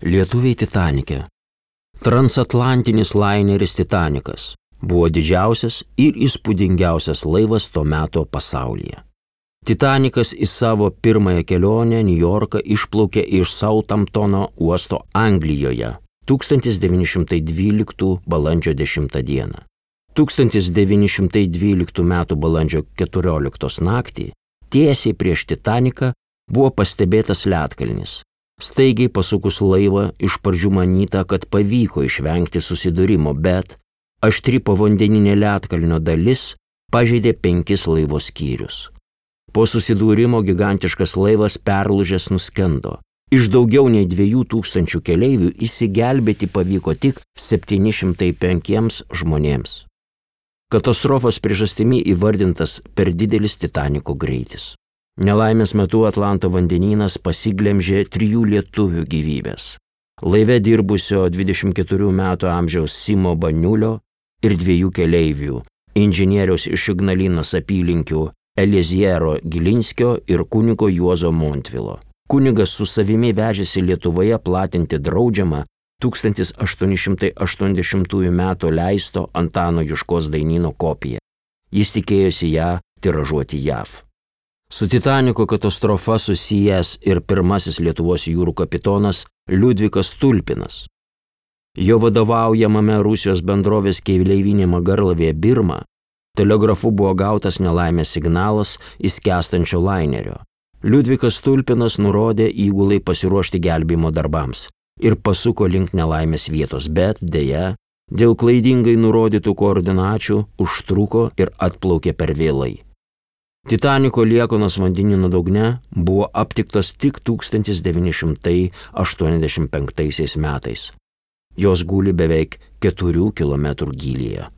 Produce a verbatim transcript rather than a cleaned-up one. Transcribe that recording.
Lietuviai Titanike. Transatlantinis laineris Titanikas buvo didžiausias ir įspūdingiausias laivas to meto pasaulyje. Titanikas į savo pirmąją kelionę Niujorką išplaukė iš Southamptono uosto Anglijoje tūkstantis devyni šimtai dvyliktų balandžio dešimtą dieną. tūkstantis devyni šimtai dvyliktų metų balandžio keturioliktos naktį tiesiai prieš Titaniką buvo pastebėtas ledkalnis. Staigiai pasukus laivą iš pradžių manyta, kad pavyko išvengti susidūrimo, bet aštri povandeninė ledkalnio dalis pažeidė penkis laivo skyrius. Po susidūrimo gigantiškas laivas perlūžęs nuskendo. Iš daugiau nei dviejų tūkstančių keleivių išsigelbėti pavyko tik septyni šimtai penkiems žmonėms. Katastrofos priežastimi įvardintas per didelis Titaniko greitis. Nelaimės metu Atlanto vandenynas pasiglemžė trijų lietuvių gyvybės. Laive dirbusio dvidešimt keturių metų amžiaus Simo Baniulio ir dviejų keleivių, inžinieriaus iš Ignalinos apylinkių Eliziero Gilinskio ir kunigo Juozo Montvilo. Kunigas su savimi vežėsi Lietuvoje platinti draudžiamą tūkstantis aštuoni šimtai aštuoniasdešimtųjų metų leisto Antano Juškos dainyno kopiją. Jis tikėjosi ją tiražuoti J A V. Su Titaniko katastrofa susijęs ir pirmasis Lietuvos jūrų kapitonas Liudvikas Tulpinas. Jo vadovaujamame Rusijos bendrovės keleivinėme garlaivėje Birma telegrafu buvo gautas nelaimės signalas įskęstančio lainerio. Liudvikas Tulpinas nurodė įgulai pasiruošti gelbėjimo darbams ir pasuko link nelaimės vietos, bet deja, dėl klaidingai nurodytų koordinačių užtruko ir atplaukė per vėlai. Titaniko liekanos vandenyno dugne buvo aptiktos tik tūkstantis devyni šimtai aštuoniasdešimt penktaisiais metais. Jos guli beveik keturių kilometrų gylyje.